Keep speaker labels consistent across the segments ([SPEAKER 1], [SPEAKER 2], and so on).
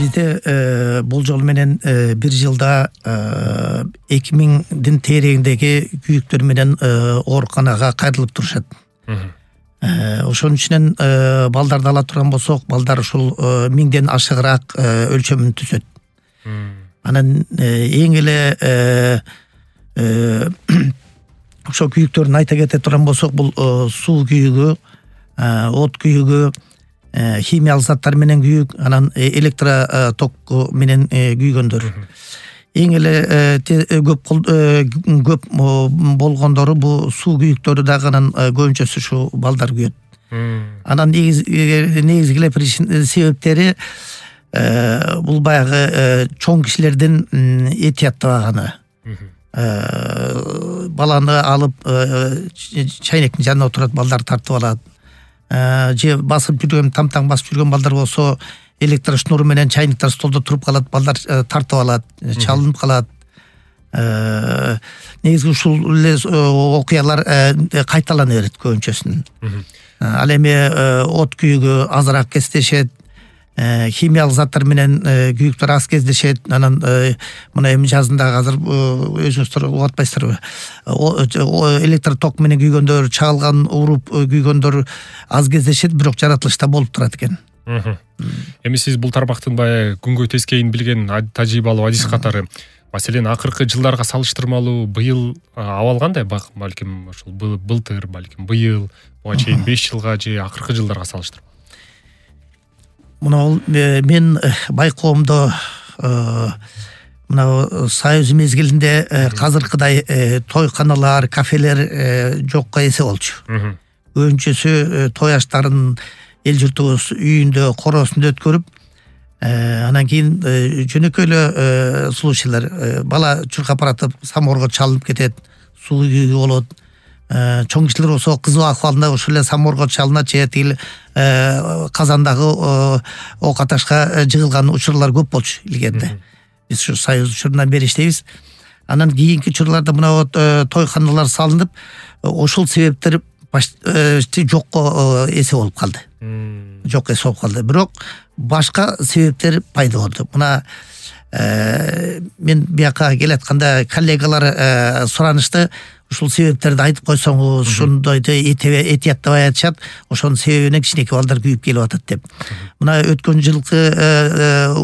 [SPEAKER 1] Бизде болжол менен бир жылда 2000 тегерегиндеги күйүктөр менен ооруканага кайрылып турушат. Ошонун үчүнөн балдарды ала турган болсок, балдар ушул 1000ден ашыгыраак өлчөмүн түзөт. Анан эң эле ошо күйүктөрдүн айта кете турган болсок, бул суу күйүгү, от күйүгү, химиялык заттар менен күйүк, анан электроток менен күйгөндөр. Эң эле көп болгондору бул суу күйүктөрү дагы, анан көбүнчөсү ушу балдар күйөт. Анан негизги эле себептери бул баягы чоң кишилердин этияттабаганы. Баланы алып чайнектин жанына отурат, балдар тартып алат. Же басып жүргөн, тамтаң басып жүргөн балдар болсо, электрошнур менен чайниктер столдо туруп калат, балдар тартып алат, чалынып калат. Негизи ушул эле окуялар кайталана берет көбүнчөсүнүн. Ал эми от күйүгү азыраак кездешет, химиялык заттар менен күйүктөр аз кездешет. Анан мына эми жазында азыр өзүңүздөр угуп атпайсыздарбы? Электроток менен күйгөндөр, чагылган уруп күйгөндөр аз кездешет, бирок жаратылышта болуп турат экен.
[SPEAKER 2] Эми сиз бул тармактын баягы күнгөй тескейин билген тажрыйбалуу адис катары, маселен, акыркы жылдарга салыштырмалуу быйыл абал кандай? Балким ошол былтыр, балким быйыл, буга чейин 5 жылга же акыркы жылдарга салыштырмалуу.
[SPEAKER 1] Мына мен байкоомдо мына союз мезгилинде казыркыдай тойканалар, кафелер жокко эсе болчу. Көбүнчөсү той аштарын эл журтубуз үйүндө, короосунда өткөрүп, анан кийин жөнөкөй эле случайлар, бала чуркап баратып самоорго чалынып кетет, суу күйүгү болот. Чоң кишилер болсо кызуу акыбалында ушул эле самоорго чалынат, же тигил казандагы ок аташка жыгылган учурлар көп болчу илгерде. Биз ушу союз учурунан бери иштейбиз. Анан кийинки учурларда мына тойканалар салынып, ошол себептер жокко эсе болуп калды. Жок эсе болуп калды. Бирок башка себептер пайда болду. Мына мен бияка келатканда коллегалар суранышты, ушул себептерди айтып койсоңуз, ушундойду этияттабай айтышат, ошонун себебинен кичинекей балдар күйүп келип атат деп. Мына өткөн жылкы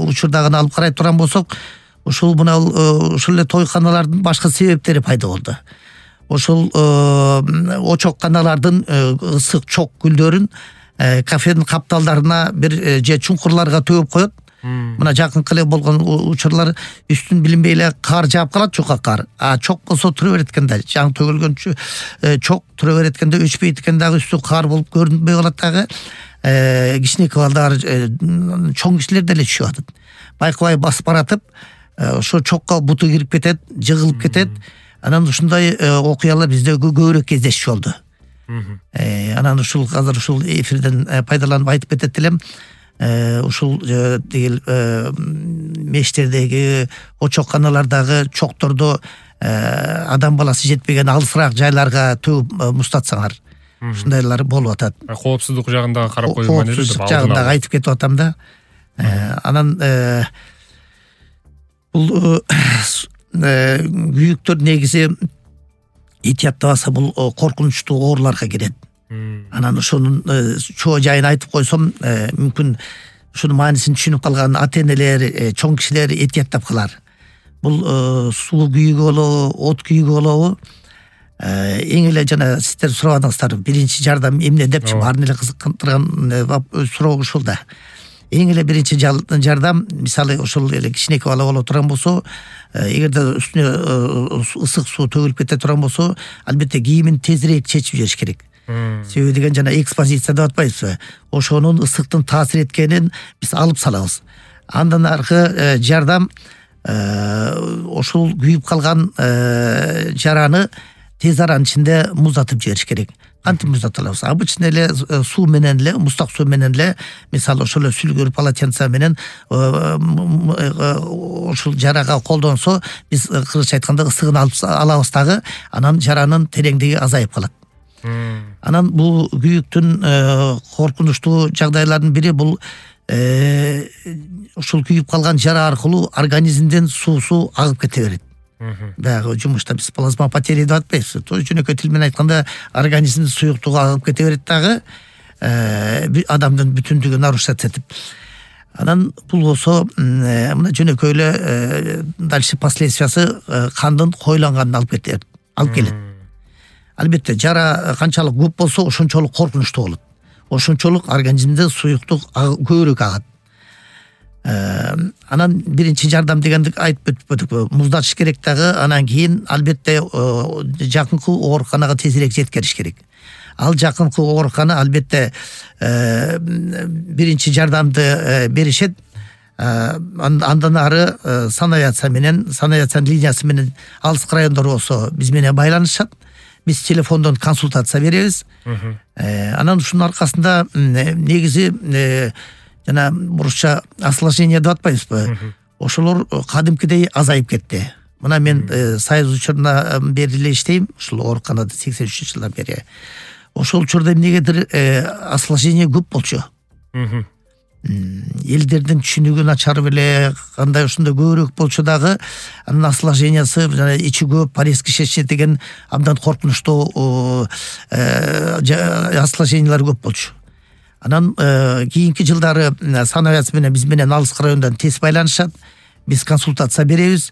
[SPEAKER 1] учурдагы алып карай турган болсок, ушул эле тойканалардын башка себептери пайда болду. Ошол очок каналардын ысык чок гүлдөрүн кафенин капталдарына бир же чуңкурларга төгүп коет. Мына жакынкы эле болгон учурлар үстүн билинбей эле кар жаап калат, чука кар. Чок болсо тура берет экен да, жаңы төгүлгөн чок тура берет экен да, өчпөйт экен дагы, үстү кар болуп көрүнбөй калат дагы. Кичинекей балдар, чоң кишилер деле түшүп атат. Байкабай басып баратып, ошо чокко буту кирип кетет, жыгылып кетет. Анан ушундай окуялар бизде көбүрөөк кездешчү болду. Анан ушул азыр ушул эфирден пайдаланып айтып кетет элем. Ушул тигил мештердеги, очок каналардагы чокторду адам баласы жетпеген алысыраак жайларга төгүп муздатсаңар, ушундайлар болуп атат.
[SPEAKER 2] Коопсуздук жагында карап койгон эле.
[SPEAKER 1] Коопсуздук жагында айтып кетип атам да. Анан бул күйүктөр негизи этияттабаса бул коркунучтуу ооруларга кирет. Анан ошонун чоо жайын айтып койсом, мүмкүн ушунун маанисин түшүнүп калган ата-энелер, чоң кишилер этияттап калар. Бул суу күйүгү болобу, от күйүгү болобу, эң эле жана сиздер сурабадыңыздар, биринчи жардам эмне депчи, баарын эле кызыктырган суроо ушул да. Эң эле биринчи жардам, мисалы ошол эле кичинекей бала боло турган болсо, эгерде үстүнө ысык суу төгүлүп кете турган болсо, албетте кийимин тезирээк чечип жибериш керек. Себеби деген жана экспозиция деп атпайбызбы? Ошонун ысыктын таасир эткенин биз алып салабыз. Андан аркы жардам ошол күйүп калган жараны тез аранын ичинде муздатып жибериш керек. Кантип муздата алабыз? Обычно эле суу менен эле, муздак суу менен эле, мисалы ошол эле сүлгүр полотенце менен ошол жарага колдонсо, биз кыргызча айтканда ысыгын алабыз дагы, анан жаранын тереңдиги азайып калат. Анан бул күйүктүн коркунучтуу жагдайларынын бири бул ушул күйүп калган жара аркылуу организмден суусу агып кете берет. Баягы жумушта биз плазма потеря деп атпайбызбы. Жөнөкөй тил менен айтканда организмдин суюктугу агып кете берет дагы адамдын бүтүндүгүн нарушать этип. Анан бул болсо мына жөнөкөй эле дальше последствиясы кандын коюланганына алып келет. Албетте жара канчалык көп болсо ошончолук коркунучтуу болот. Ошончолук организмде суюктук көбүрөөк агат. Анан биринчи жардам дегенди айтып өттүк. Муздатыш керек дагы, анан кийин албетте жакынкы ооруканага тезирээк жеткириш керек. Ал жакынкы оорукана албетте биринчи жардамды беришет. Андан ары санавиация линиясы менен алыс райондор болсо биз менен байланышат. Биз телефондон консультация беребиз. Анан ушунун аркасында негизи жана бурушча осложнение деп атпайбызбы? Ошолор кадимкидей азайып кетти. Мына мен Союз учурунда бери эле иштейм, ушул ооруканада 83-жылдан бери. Ошол учурда эмнегедир осложнение көп болчу. Элдердин түшүнүгү начарып эле кандай ушундай көбүрөөк болчу дагы, анын осложнениясы жана ичи көп порез кишечи деген абдан коркунучтуу осложнениялар көп болчу. Анан кийинки жылдары санавиация менен биз менен алыс райондан тез байланышат. Биз консультация беребиз.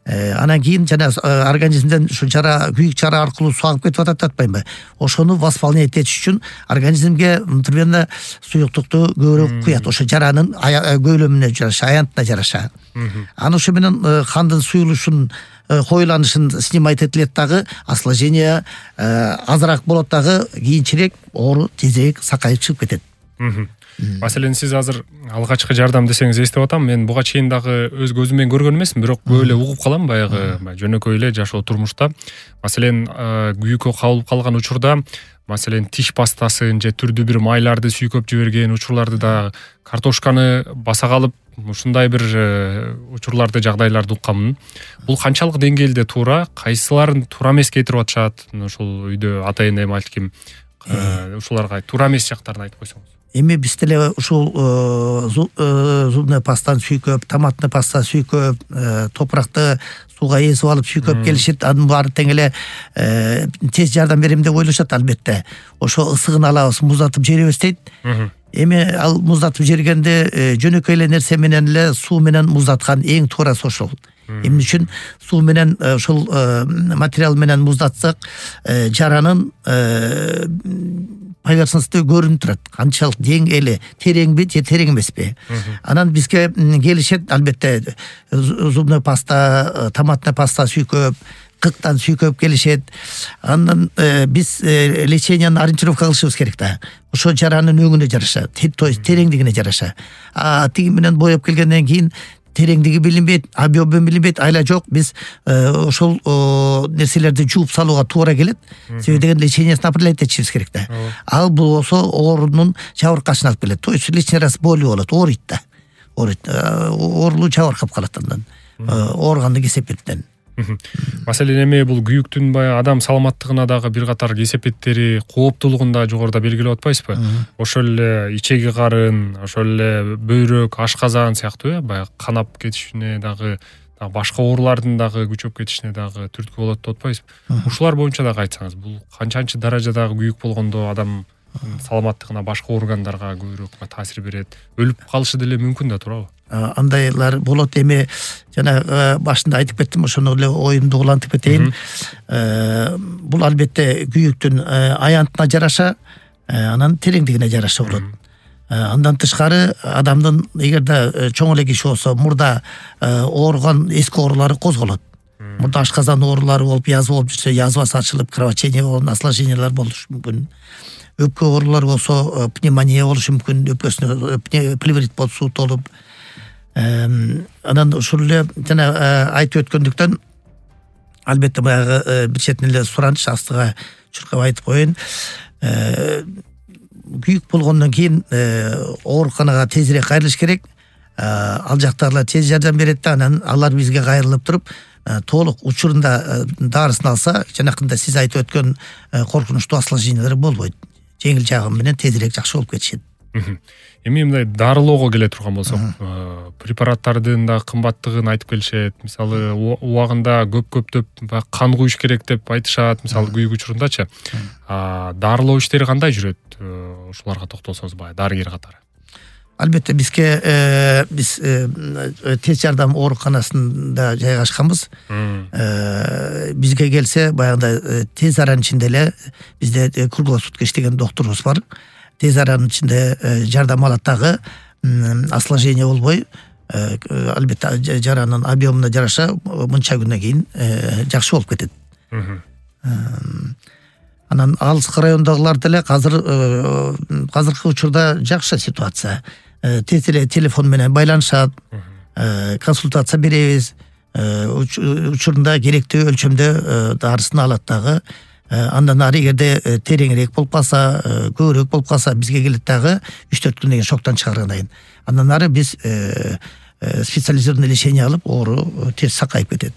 [SPEAKER 1] Анан кийин жана организмден ушу күйүк жара аркылуу суу агып кетип атат атпаймынбы? Ошону восполнять этиш үчүн организмге мынтирбенно суюктукту көбүрөөк куят. Ошо жаранын көйлөмүнө жараша, аянтына жараша. Анан ошо менен кандын суюлушун коюланышын снимать этилет дагы, осложнение азыраак болот дагы, кийинчерээк оору тезирээк сакайып чыгып кетет.
[SPEAKER 2] Маселен, сиз азыр алгачкы жардам десеңиз эстеп атам. Мен буга чейин дагы өз көзүм менен көргөн эмесмин, бирок көп эле угуп калам баягы жөнөкөй эле жашоо турмушта. Маселен, күйүккө кабылып калган учурда, маселен, тиш пастасын же түрдүү бир майларды сүйкөп жиберген учурларды да, картошканы баса калып, ушундай бир учурларды, жагдайларды укканмын. Бул канчалык деңгээлде туура, кайсыларын туура эмес кетирип атышат? Ушул үйдө ата эне балким ушуларга туура эмес жактарын айтып койсоңуз.
[SPEAKER 1] Эми биз деле ушул зубный пастаны сүйкөп, томатный паста сүйкөп, топуракты сууга эзип алып сүйкөп келишет. Анын баары тең эле тез жардам берем деп ойлошот албетте. Ошо ысыгын алабыз, муздатып жиберебиз дейт. Эми ал муздатып жибергенде жөнөкөй эле нерсе менен эле суу менен муздаткан эң туурасы ошол. Эмне үчүн суу менен ошол материал менен муздатсак, жаранын поверхносттой көрүнүп турат. Канчалык деңгээли, тереңби же терең эмеспи? Анан бизге келишет албетте зубный паста, томатный паста сүйкөп, кыктан сүйкөп келишет. Андан биз лечениянын ориентировка кылышыбыз керек да. Ошо жаранын өңүнө жараша, то есть тереңдигине жараша. Тиги менен боеп келгенден кийин тереңдиги билинбейт, объем билинбейт, айла жок. Биз ошол нерселерди жууп салууга туура келет. Себеби деген лечениясын определять этишибиз керек да. Ал болсо оорунун жабыркашына алып келет. То есть лишний раз боли болот, ооруйт да. Оорулуу жабыркап калат андан. Ооруганды кесепеттен.
[SPEAKER 2] Маселен, эми бул күйүктүн баягы адам саламаттыгына дагы бир катар кесепеттери, кооптуулугун да жогоруда белгилеп атпайсызбы? Ошол эле ичеги карын, ошол эле бөйрөк, ашказан сыяктуу баягы канап кетишине дагы, башка оорулардын дагы күчөп кетишине дагы түрткү болот деп атпайсызбы? Ушулар боюнча дагы айтсаңыз, бул канчанчы даражадагы күйүк болгондо адам саламаттыгына, башка органдарга көбүрөөк таасир берет, өлүп калышы деле мүмкүн да, туурабы? Андайлар
[SPEAKER 1] болот. Эми жана башында айтып кеттим, ошону эле оюмду улантып кетейин. Бул албетте күйүктүн аянтына жараша, анан тереңдигине жараша болот. Андан тышкары адамдын эгерде чоң эле киши болсо, мурда ооруган эски оорулары козголот. Мурда ашказан оорулары болуп, язва болуп жүрсө, язвасы ачылып, кровотечение болуп, осложнениялар болушу мүмкүн. Өпкө оорулары болсо, пневмония болушу мүмкүн, өпкөсүнө плеврит болуп, суутулуп. Анан ушул эле жана айтып өткөндүктөн албетте баягы бир четинен эле сураныч астыга чуркап айтып коеюн. Күйүк болгондон кийин ооруканага тезирээк кайрылыш керек. Ал жактагылар тез жардам берет да, анан алар бизге кайрылып туруп, толук учурунда дарысын алса, жанакында сиз айтып өткөн коркунучтуу осложнениялар болбойт. Жеңил жагы менен тезирээк жакшы болуп кетишет.
[SPEAKER 2] Эми мындай дарылоого келе турган болсок, препараттардын да кымбаттыгын айтып келишет. Мисалы, убагында көптөп кан куюш керек деп айтышат, мисалы күйүк учурундачы. Дарылоо иштери кандай жүрөт? Ушуларга токтолсоңуз баягы дарыгер катары.
[SPEAKER 1] Албетте биз тез жардам ооруканасында жайгашканбыз. Бизге келсе баягындай тез аранын ичинде эле бизде круглосутка иштеген докторубуз бар. Тез аранын ичинде жардам алат дагы, осложнение болбой, албетте жаранын объемуна жараша мынча күндөн кийин жакшы болуп кетет. Анан алыскы райондогулар деле азыркы учурда жакшы ситуация. Тез эле телефон менен байланышат, консультация беребиз, учурунда керектүү өлчөмдө дарысын алат дагы. Андан ары эгерде тереңирээк болуп калса, көбүрөөк болуп калса, бизге келет дагы 3-4 күндөн кийин шоктон чыгаргандан кийин. Андан ары биз специализированный лечение алып, оору тез сакайып кетет.